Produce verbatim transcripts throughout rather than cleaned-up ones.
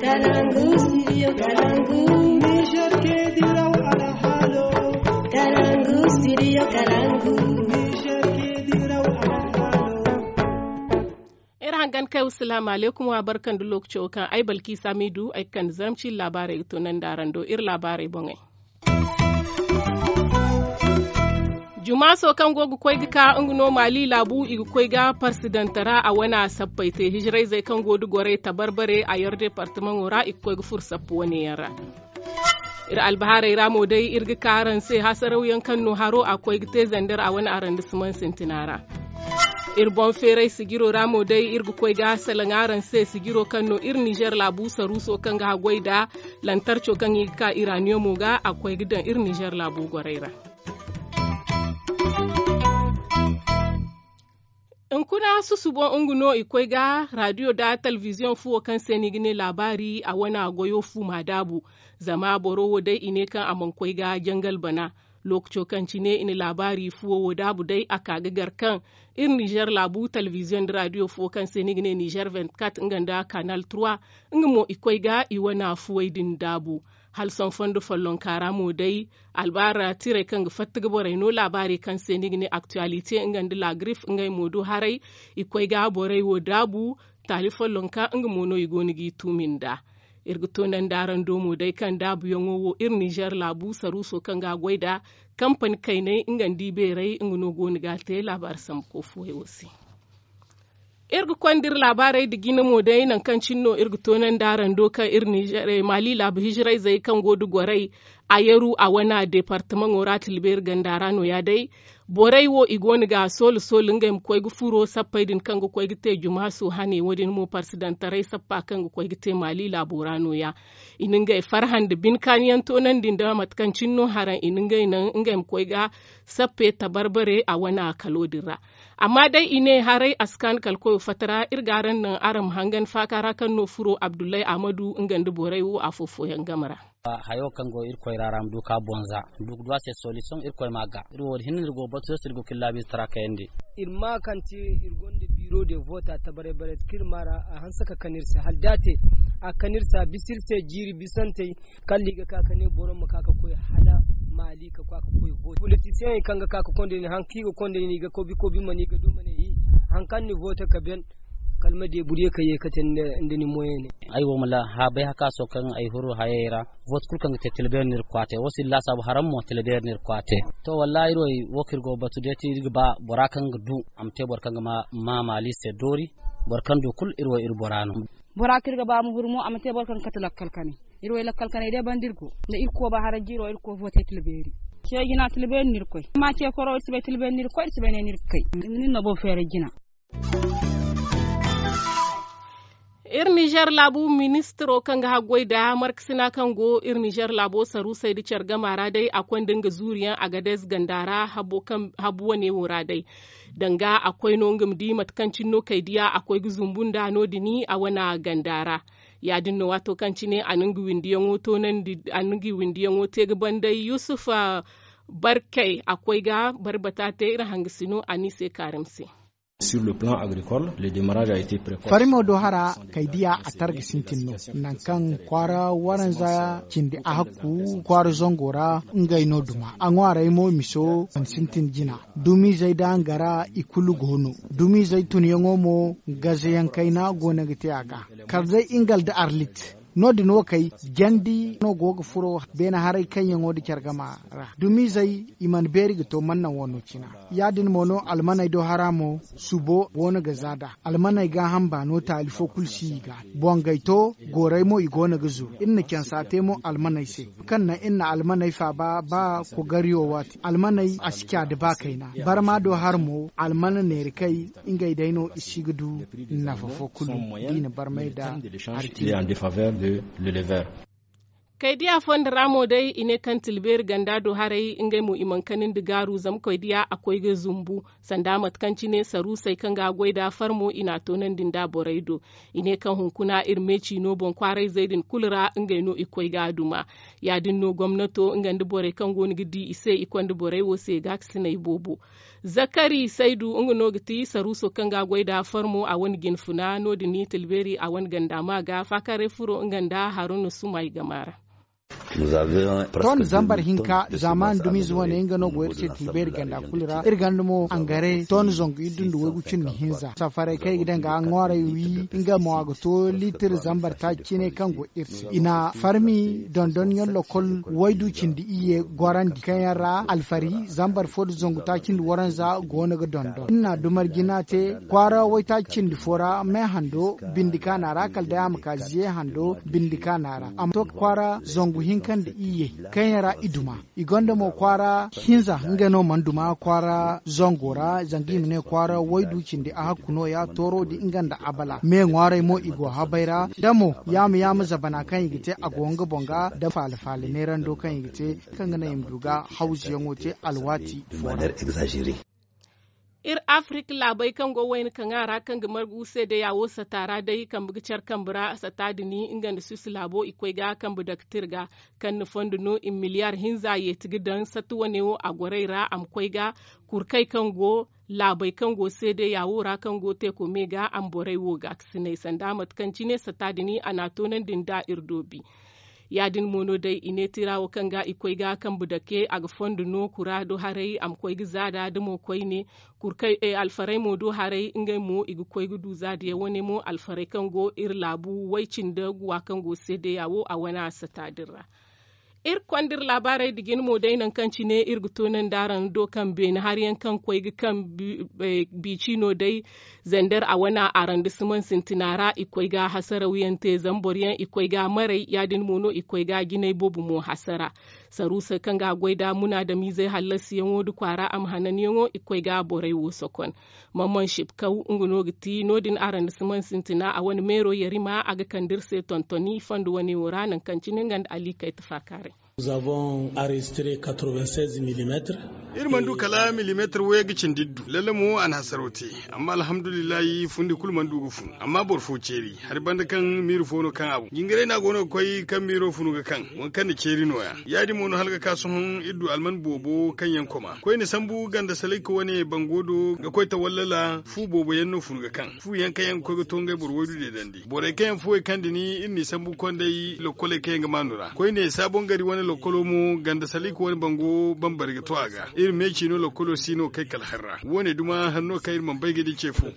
Kalangu, studio Kalangu. Niger ke diraw alhalo. Kalangu, studio Kalangu. Niger ke diraw alhalo. Iri hangan kay, wassalaamu alaykum, wa barka nda lookaco kaŋ ay Balkiisa Miidu ay ga kande zarma ciine laabaarey ga to nandi araŋ do iri laabaarey boŋey. Jumaaso kaŋ go ga koy ga ka nga no Maali laabu i ga koy ga parsidanta ra a wane a sappey te hijirayzey kaŋ go da gorey tabarbare a yar departamaŋo ra i ga koy ga furo sappa wane yaŋ ra. Iri albahaarey ra mo day iri ga ka araŋ se hasarawyaŋ kaŋ no haro a koy ga te zandar a wane arrondissement sintina ra. Iri boŋ feeray sijiro ra mo day iri ga koy ga salaŋ araŋ se sijiro kaŋ no iri nizer laabu saruuso kaŋ ga haggoy nda lantarco kaŋ i ga ka iraniyomo ga a koy ga daŋ iri nizer laabu gorey ra. Hunkuna susubo nga no i koy ga radiyo nda talbiziyoŋ fuwo kaŋ se no i ga ne laabaari a wane a goyo fu m'a daabu. Zama boro wo day i ne kaŋ a mana koy ga jangal bana. Lookaco kaŋ cine i na laabaari fuwo wo daabu day a ka ga gar kaŋ iri nizer laabu talbiziyoŋ nda radiyo fuwo kaŋ se no i ga ne nizer vingt-quatre nga nda kanal trois, nga mo i koy ga i wane fuwey din daabu. Hala sohõ fondo follonka ra mo day albaara tirey kaŋ ga fatta ga borey no laabaarey kaŋ se no i ga ne aktuwalite nga nda lagrif ngey mo du haray. I koy ga borey wo daabu. Taali follonka nga mo no i go no g'i tuumi nd'a. Iri ga toonandi araŋ do mo day kaŋ daabuyaŋo wo iri nizer laabu saruuso kaŋ ga a goy nd'a kampani kayney nga nda i beerey nga no go no ga a te laabaari sambu koy fuwey wo se. Iri ga konda iri laabaarey nda jina mo day nangu kaŋ cine no iri ga toonandi araŋ do kaŋ iri nizer maali laabu hijirayzey kaŋ go nda gorey a yaru a wane departamaŋo ra tilbeeri ganda ra nooya day. Borey wo i go no ga a soolu soolu ngey ma koy ga furo sappey din kaŋ ga koy ga te jumaasu hane wo- din mo parsidantaray sappa kaŋ ga koy ga te maali laabo ra nooya. I na ngey farhã nda bine kaaniyaŋ toonandi nda mate kaŋ cine no haraŋ i na ngey naŋ ngey ma koy ga sappe tabarbare a wane a kalo din ra. Amma day i ne haray a si kaanu kala koyo fatta ra iri ga araŋ naŋ araŋ ma hangan faaka ra kaŋ no furo abdullahi ahmadu nga nda borey wo afo fooyaŋ game ra. Hayo kaŋ go irkoy ra ra ma du ka bonza du ga du a se solution irkoy ma ga iri wo- din hinne no iri go ga batu se iri go ga iri laabiize tara kayandi. Iri ma kaŋ te iri gonda biro de voota tabaray baray kaŋ iri ma ra a hanse ka kan iri se hala da a te a ga kan iri se a bisa iri se jiiri bisantey. Kala i ga ka ka ne boro ma ka ka koy hala maali ka koy a ka koy vooti politisiyeŋey kaŋ ga ka ka konda nin hari kaŋ i ga konda nin i ga kobi kobi ma ne i ga du ma ne hi hari kaŋ ni voota ka ben. Kala ma deeburye ka ye ka te nda ni moyene. Ay wo ma la ha bay hakaaso kaŋ ay huru hayey ra. Vooti kulu kaŋ ga te tilbeeri no iri ga koy a te wo si iri laasaabu haraŋ mo tilbeeri no iri ga koy a te. To wallaahi iri wo kaŋ iri go ga batu day te iri ga ba bora kaŋ ga du a ma te boro kaŋ ga ma maali se doori. Boro kaŋ du kulu iri wo iri bora no. Bora kaŋ iri ga ba a ma huru mo a ma te boro kaŋ ga kate lakkal kanay. Iri wo lakkal kanay day banda iri go nda iri kooba haraŋ jiiro iri ga koy vooti tilbeeri. Ce jina tilbeeri no iri ga koy amma ce koro iri si bay tilbeeri no iri ga koy iri si bay ne no iri ga kay. Nin no boro feeray jina. Iri nizer laabu ministiro kaŋ ga haggoy nda markasina kaŋ go iri nizer laabo saruusey nda care gama ra day a konda nga zuuriyaŋ agadez ganda ra habu wane wo ra day. Danga a koy no nga ma di mate kaŋ cine no kay diya a koy ga zumbu nda no- din a wane ganda ra. Ya-din no waato kaŋ cine a na nga windiyaŋo toonandi a na nga windiyaŋo te ga banday yusuf barkey a koy ga barbata te iri hangasino a no i se kaarim se. Farimo do hara kay diya a targa sintin no. Nangu kaŋ kwaara waranza cindi a hakku kwaara zango ra ngey no duma a ŋwaaray mo miso mana sintin jina. Dumizey da nga ra i kulu go no. Dumizey tunyaŋo mo gazayaŋ kayna go no ga te a ga. Kala day ingal da arlit no- din wo kay jandi no go ga furo beene haray kaŋyaŋo nda care gama ra dumizey i mana beeri ga to mannaŋ wano cina. Ya- din mo no almaney do hara mo subo go no ga za nd'a. Almaney gaaham baano taali fo kulu si i ga. Bongey to goorey mo i go no ga zuru iri na cansa te mo almaney se. Kaŋ naŋ iri na almaney faaba ba kogariyo waati almaney a si ca nda ba kayna. Barma do hara mo almana neeri kay ngey day no i si ga du nafa fo kulu da i na barmay nda hari cindi. Kaydiya fondo ra mo day i ne kaŋ tilbeeri ganda do haray ngey mo i mana kanandi gaaru zama kaydiya a koy ga zumbu. Sanda mate kaŋ cine saruusey kaŋ ga a goy nd'a farmo i n'a toonandi nd'a borey do. I ne kaŋ hunkuna iri me ciino boŋ kwaarayzey din kulu ra ngey no i koy ga a duma. Ya- din no gomnato nga nda borey kaŋ go no ga di i se i konda borey wo se gaakasiney boobo. Zakari saydu nga no ga ti saruuso kaŋ ga a goy nd'a farmo a wane jinfuna no- din tilbeeri a wane ganda ma ga faakaaray furo nga nda haruna sumay gama ra. Ton zambar hinka zamaani dumiize wane nga no go iri se tilbeeri ganda kulu ra iri ganda mo angare ton zangu iddu nda waygu cindi hinza safaray kaŋ i ga daŋ ga ŋwaaray wi nga mo a ga to liitir zambar taaci cine kaŋ go iri se i na farmi dondonyaŋ lokol waydu cindi iyye gorandi kaŋ yaŋ ra alfari zambar fo nda zangu taaci nda waranza go no ga dondon iri na dumar jina te kwaara waytaaci cindi fo ra me hando bindi kaana ra kala day a ma ka ziye hando bindi kaana ra a ma to kwaara zangu hinka nda iyye kaŋ yaŋ ra i duma. I gonda mo kwaara hinza nga no mana duma kwaara zango ra zanga i ma ne kwaara waydu cindi a hakku no- ya tooro din nga nda abala me ŋwaaray mo i go habay ra da mo yaama yaama zabana kaŋ i ga te a go nga boŋ ga da faala faala neerando kaŋ i ga te kaŋ ga naŋ i ma du ga hawzuyaŋo te alwaati fo ra. Iri afirik laabey kaŋ go wayna kaŋ a ra kaŋ ga margu seedeya wo sata ra day kambe ga care kambe ra sata din nga nda suwis laabo i koy ga kambe dake tirga kaŋ na fondo no i ma miliyaar hinza yeeti ga daŋ sata wane wo a gorey ra a ma koy ga kurkey kaŋ go laabey kaŋ go seedeya wo ra kaŋ go teeko me ga a ma borey wo gaakasinay sanda mate kaŋ cine sata din a n'a toonandi nda iri doobi. Ya- din mo no day i ne tira wo kaŋ ga i koy ga kambe dake a ga fondo no kura do haray a ma koy ga zaada da mo koyne kurkey alfarey mo do haray ngey mo i ga koy ga du zaadiyaŋ wane mo alfarey kaŋ go iri laabu way cindi guwa kaŋ go seedeya wo a wane a sata din ra. Iri konda iri laabaarey nda jina mo day nangu kaŋ cine iri ga toonandi araŋ do kaŋ beene hari yaŋ kaŋ koy ga kaŋ biici no day zander a wane arandisimaŋ sintina ra i koy ga hasaraw yaŋ te zama boro yaŋ i koy ga maray ya- din mo no i koy ga jinay boobo mo hasara. Saruusey kaŋ ga a goy nda munaadamiizey hallasiyaŋo nda kwaara a ma hananyaŋo i koy ga borey wo sokon. Mamman sibkaw nga no ga ti no- din arandisimaŋ sintina a wane meero yarima a ga kande iri se tontoni fondo wane wo ra nangu kaŋ cine nga nda ali kayta faakaaray. Iri mana du kala milimeetir wayey ga cindi iri du lalle mo a na hasaraw te. Amma alhamdulillahi fundi kulu mana du ga fun amma boro fo ceeri hari banda kaŋ miiri fo no kaŋ a boŋ jingaray no a go no ga koy kaŋ miiro funu ga kaŋ waŋ kaŋ na ceeri no- ya ya- din mo no hala ga ka sohõ iri du alman boobo kaŋ yaŋ koma koyne sambu ganda salayka wane bango do ga koy tawallala fu boobo yaŋ no funu ga kaŋ fu yaŋ kaŋ yaŋ ga koy ga to ngey boro waydu deedandi borey kaŋ yaŋ fuwey kaŋ dini iri n'i sambu konday lokkoley kaŋ yaŋ ga maanu ra koyne saabon gari wane lokkolo mo ganda salayka wane bango bambari ga to a ga iri meeci no lokkolo si no kay kala hari ra wo- ne duma hari no kaŋ iri mana bay ga di ce fo.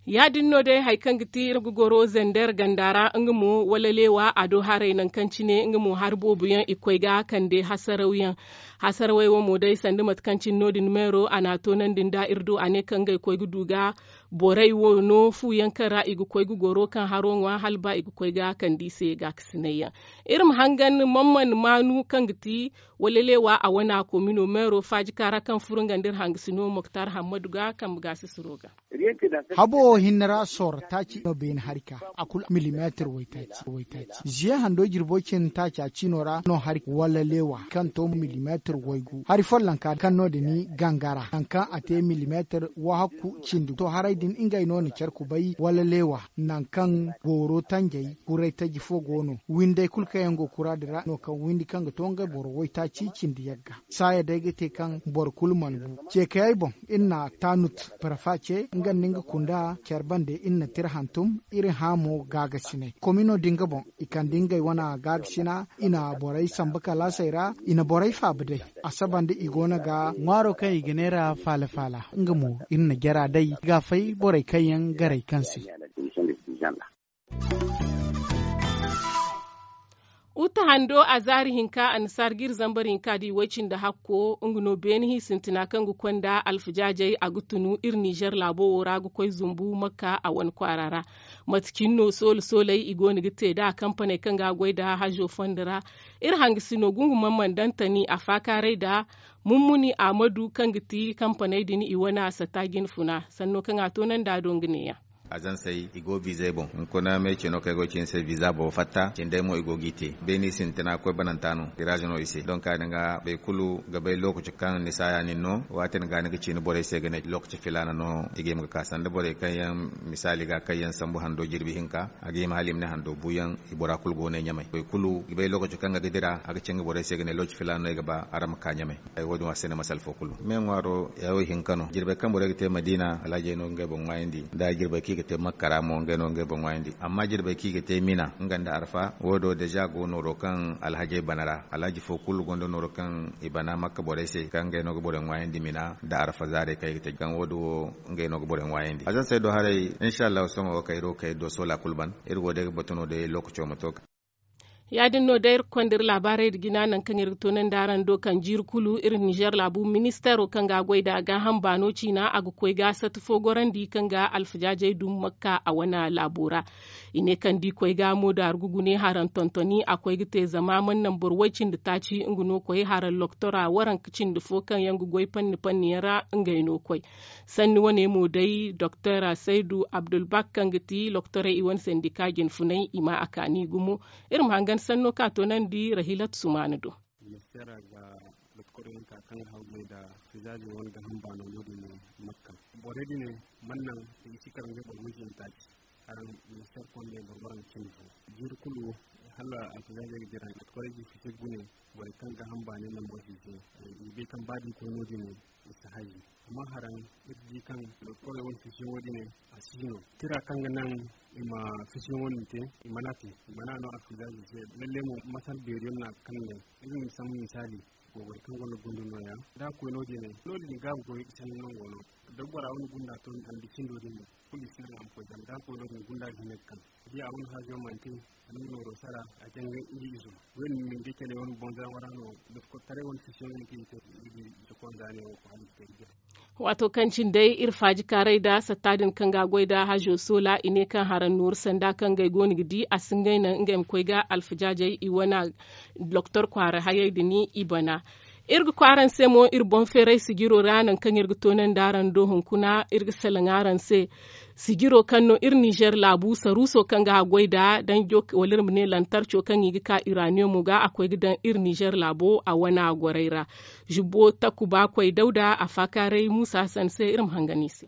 Ya- din no day hari kaŋ ga ti iri ga goro zander ganda ra nga mo wala leewa a do haray nangu kaŋ cine nga mo hari boobo yaŋ i ga koy ga kande hasarawyaŋ. Hasarawey wo mo day sanda mate kaŋ cine no- din meero a n'a toonandi nda iri do a ne kaŋ ngey koy ga du ga borey wo no fu yaŋ kaŋ ra i ga koy ga goro kaŋ haro ŋwa hala ba i ga koy ga kande i se gaakasinay yaŋ. Iri ma hangan mamman maanu kaŋ ga ti wala leewa a wana komino meero faaji kaara kaŋ furo nga nda iri hangasino moktar hammadu ga kambe gaasisiro ga. Habo wo hinne ra sooro taaci no beene hari ka a kulu milimeetir waytaaci. Ziye hando jirbo cin taaci a ciino ra no hari wala leewa kaŋ to milimeetir waygu hari follonka kaŋ no- din gangara nangu kaŋ a te milimeetir wahakku cindi to haray din ngey no na care kubay wala leewa nangu kaŋ booro tanjey kuray taji fo go no windey kulu kaŋ yaŋ go kura din ra no kaŋ windi kaŋ ga to ngey boro waytaaci cindi yagga. Saaya day ga te kaŋ boro kulu mana bu ceekayey boŋ iri na taanut parafa ce nga nda nga kunda care bande iri na tira hantum iri hã mo gaagasinay komino din ga boŋ i kande ngey wane gaagashina i na borey sambu kalaasey ra i na borey faaba day. A saba nda i go no ga ŋwaaro kaŋ i ga neera faala faala nga mo iri na jara day ga fay borey kaŋ yaŋ garay kaŋ se. Uta hando a zaari hinka annasaara ga iri zambar hinka da i way-cindi hakko nga no beene hi sintina kaŋ ga konda alfajaajey a ga tunu iri nizer laabo wo ra ga koy zumbu makka a wane kwaara ra. Mate cine no soola sooley i go no ga te nd'a kampaney kaŋ ga a goy nd'a hazo fondo ra. Iri hangasino gungumaŋ mana daŋ tani a faakaaray nd'a mummuni ahmadu kaŋ ga ti kampaney din i wane a sata jinfuna sanno kaŋ a toonandi a do nga neeya. Azansey i go biizey boŋ. Hunkuna me cino kaŋ ay go ga ci ni se biiza boobo fatta cindey mo i go g'i te. Beeni sintina koy bananta no giraaze no i se donk a din ga boro kulu ga bay lookaci kaŋ ni saaya nin no. Waati din ga ni ga ci ni borey se ga ne lookaci filaana no i ga hima ga ka sanda borey kaŋ yaŋ misaali ga kaŋ yaŋ sambu hando jirbi hinka a ga hima hala i ma ne hando buuyaŋ. I bora kulu go ne ɲamay boro kulu ga bay lookaci kaŋ ga ga dira a ga ci nga borey se ga ne lookaci filaana no ay ga ba araŋ ma ka ɲamay. Wo- din wo a si ne masala fo kulu me ŋwaaro ya wo hinka no jirbey kaŋ borey ga te madiina alhajey no ga ngey boŋ ŋwaayandi nda jirbey kaŋ i ga te makka ra mo ngey no ga ngey boŋ ŋwaayandi amma jirbey kaŋ i ga te mina nga nda arfa wo- din wo deeza go nooro kaŋ alhajey bana ra alhaji fo kulu gonda nooro kaŋ i bana makka borey se kaŋ ngey no ga borey ŋwaayandi mina nda arfa zaarey kaŋ i ga te kaŋ wo- din wo ngey no ga borey ŋwaayandi azansey do haray. Insa allahu sohõ wo kayro kay do soola kulu ban iri go day ga batu no day lookaco ma to. Ya- din no day iri ga konda iri laabaarey nda jina nangu kaŋ iri ga toonandi araŋ do kaŋ jiiri kulu iri ninzeer laabu ministeero kaŋ ga a goy nd'a gaaham baano ciina a ga koy ga sata fo gorandi kaŋ ga alfajaajey dum makka a wane laabo ra. I ne kaŋ da i koy ga moodaaru ga gune haraŋ tontoni a koy ga te zama mana naŋ boro way- cindi taaci nga no koy haraŋ loktora waranka cindi fo kaŋ yaŋ ga goy panni panni yaŋ ra ngey no koy. Sanni wane mo day doktor saydu abdulbak kaŋ ga ti loktorey i wane sendika jinfunay i ma a kaani gumo. Iri ma hangan sanno kaŋ a toonandi rahilat sumaana do. Ministeera ga doktorey hinka kaŋ ga hawgay nda fizaazey wane gaaham baano no- din no makka borey din mana naŋ i si kar ngey boro way- cindi taaci. Haraŋ ministeer kondey boro waranka cindi fo jiiri kulu hala alfizaazey ga dira doktorey ga i fise gune. Borey kaŋ gaaham baanay mana borey fise i bay kaŋ ba da i koy no- din i si hayi. Amma haraŋ iri di kaŋ doktorey wane fisiyaŋo din a si hino tira kaŋ ga naŋ i ma fisiyaŋo din te. I mana te i mana no alfizaazey se lalle mo masal beeriyaŋ no a ga kande. Iri ma sambu misaali goy boro kaŋ gonda gundu nooya da a koy no- din no- din ga a ga goy sanni nango no. Da bora wane gunda to ni andi cindo din no kulu i si naŋ a ma koy zama da a koy no- din gunda ga hin ga kaŋ da ya wane haajo mana te. A na nooro sara a janga nga izo. Wayne ma ni ga cale wane boŋ zaama ra no doktor taray wane fisiyaŋ no kaŋ i ga te. Nga di sokonza ne wo ko hala i ga te ga jina. Waato kaŋ cine day iri faaji kaaray nda satta din kaŋ ga a goy nda hajo soola i ne kaŋ haraŋ nooru sanda kaŋ ngey go no ga di a si ngey naŋ ngey ma koy ga alfajaajey i wane doktor kwaara hayey din i bana. Iri ga koy araŋ se mo iri boŋ feeray sijiro ra nangu kaŋ iri ga toonandi araŋ do hunkuna iri ga salaŋ araŋ se. Sijiro kaŋ no iri ninzeer laabu saruuso kaŋ ga a goy nda danjo wala iri ma ne lantarco kaŋ i ga ka iraniyomo ga a koy ga daŋ iri ninzeer laabo a wane a gorey ra. Zubbo takuba koy dawda a faakaaray muusa hasan se iri ma hangan i se.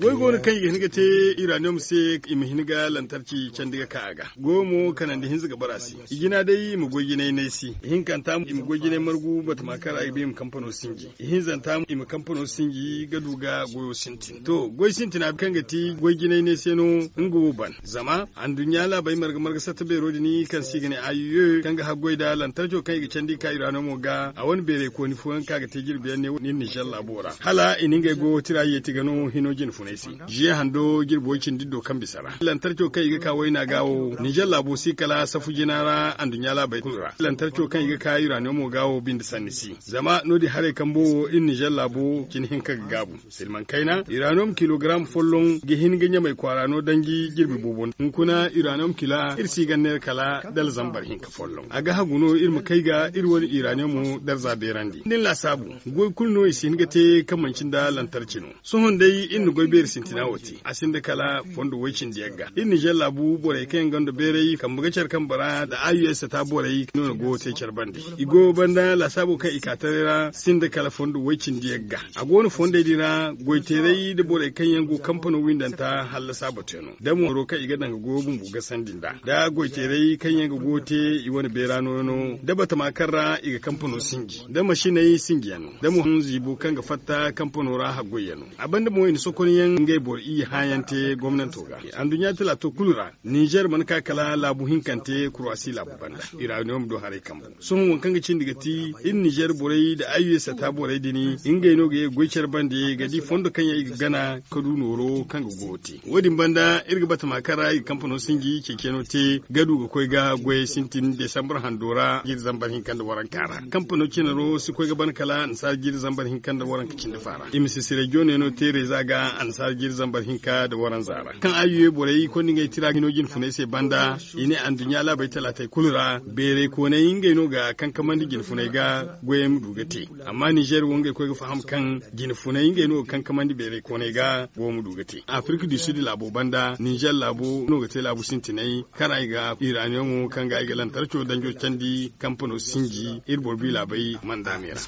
Goy go no kaŋ i ga hin ga te iraniyom se i ma hin ga lantarci candi ga ka a ga. Goyo mo kanandi hinza ga bara se. I jina day i ma goy jinay no ay se. Ihinkanta i ma goy jinay margu batama kaŋ ra i ga ba i ma kampano sinji. Ihinzanta i ma kampano sinji ga du ga goyo sintin to goy sintina kaŋ ga ti goy jinay no ay se no. Nga wo ban zama anduɲɲa laabey marga marga satta beero din kaŋ se i ga ne ayoyo kaŋ ga haggoy nda lantarco kaŋ i ga candi ka iraniyom ga a wane beerey kooni fooyaŋ kaŋ a ga te jirbi yaŋ ne iri ninzeer laabo ra hala i na ngey goyo tira yeeti ga no hino jine funay se. Ziye hando jirbi way cindi do kaŋ bisa ra lantarco kaŋ i ga ka wayna ga wo ninzeer laabo si kala safu jina ra anduɲɲa laabey kulu ra lantarco kaŋ i ga ka iraniyomo ga wo binde sanni si. Zama no- din haray kambo wo iri ninzeer laabo cine hinka ga gaabu. Silmaŋ kayna iraniyom kilogaram folloŋ ga hin ga ɲamay kwaara no danji jirbi boobo hunkuna iraniyom kila iri si ga neera kala dala zambar hinka folloŋ a ga hagu no iri ma kay ga iri wane iraniyomo darza beerandi nin laasaabu. Goy kulu no i si hin ga te kaŋ manci nda lantarci no. Sohõ day iri na goy beeri sintina wo te a sinda kala fondo way cindi yagga iri ninzeer laabu borey kaŋ yaŋ gonda beeray kambe ga care kambe ra nda a u s ta borey no na goyo te care bande. I goyo banda laasaabo kaŋ i ka taray ra sinda kala fondo way cindi yagga. A go no fondey din ra goyteeray nda borey kaŋ yaŋ go kampano windanta hallasa batuyaŋo da mooro kaŋ i ga daŋ ga goyo bumbo gasandi nd'a da goyteeray kaŋ yaŋ ga goyo te i wane beera nooyaŋo da batama kaŋ ra i ga kampano sinji da masiney sinjiyaŋ no da mo hanziibo kaŋ ga fatta kampano ra haggoyyaŋ no. A banda mo i na sokonyaŋ ngey boro iyye hãayaŋ te gomnanto ga anduɲɲa talaato kulu ra. Ninzeer mana ka kala laabu hinkante kuraasi laabu banda. Iraniyom do haray kambu sohõ waŋ kaŋ ga cindi ga ti iri ninzeer borey nda ayyuwey sata borey din ngey no ga ye ga goy care bande ga di fondo kaŋ yaŋ i ga gana ka du nooro kaŋ ga goyo te. Wo- din banda iri ga batama kaŋ ra i ga kampano sinji ceeciyaŋo te ga du ga koy ga goyey sintin desambar hando ra jiiri zambar hinka nda waranka ra kampano cinaro si koy ga ban kala annasaara jiiri zambar hinka nda waranka cindi fa ra i ma si sirejiyoŋey no te reeza ga annasaara jiiri zambar hinka nda waranza ra kaŋ ayyuwey borey konda ngey tira hino jine funay se banda. I ne anduɲɲa laabey talaatey kulu ra beerey kooney ngey no ga kankamandi jine funay. ga goyey ma du ga te. Amma nizer wo ngey koy ga faham kaŋ jine funay ngey no ga kankamandi beeray koonay ga goyo ma du ga te. Afirik du sid laabo banda nizer laabo no ga te laabu sintinay karay ga iraniyoŋo kaŋ ga ay ga lantarco danjo candi kampano sinji iri boro bi laabey manda me ra.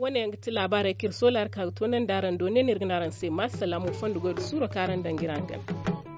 Wo- ne yaŋ ga ti laabaarey kaŋ iri soola hari kaŋ a ga to nandi araŋ do ne no iri ga ne araŋ se ma salamo fondo goy da suuro kaŋ araŋ daŋ ga iri araŋ gana.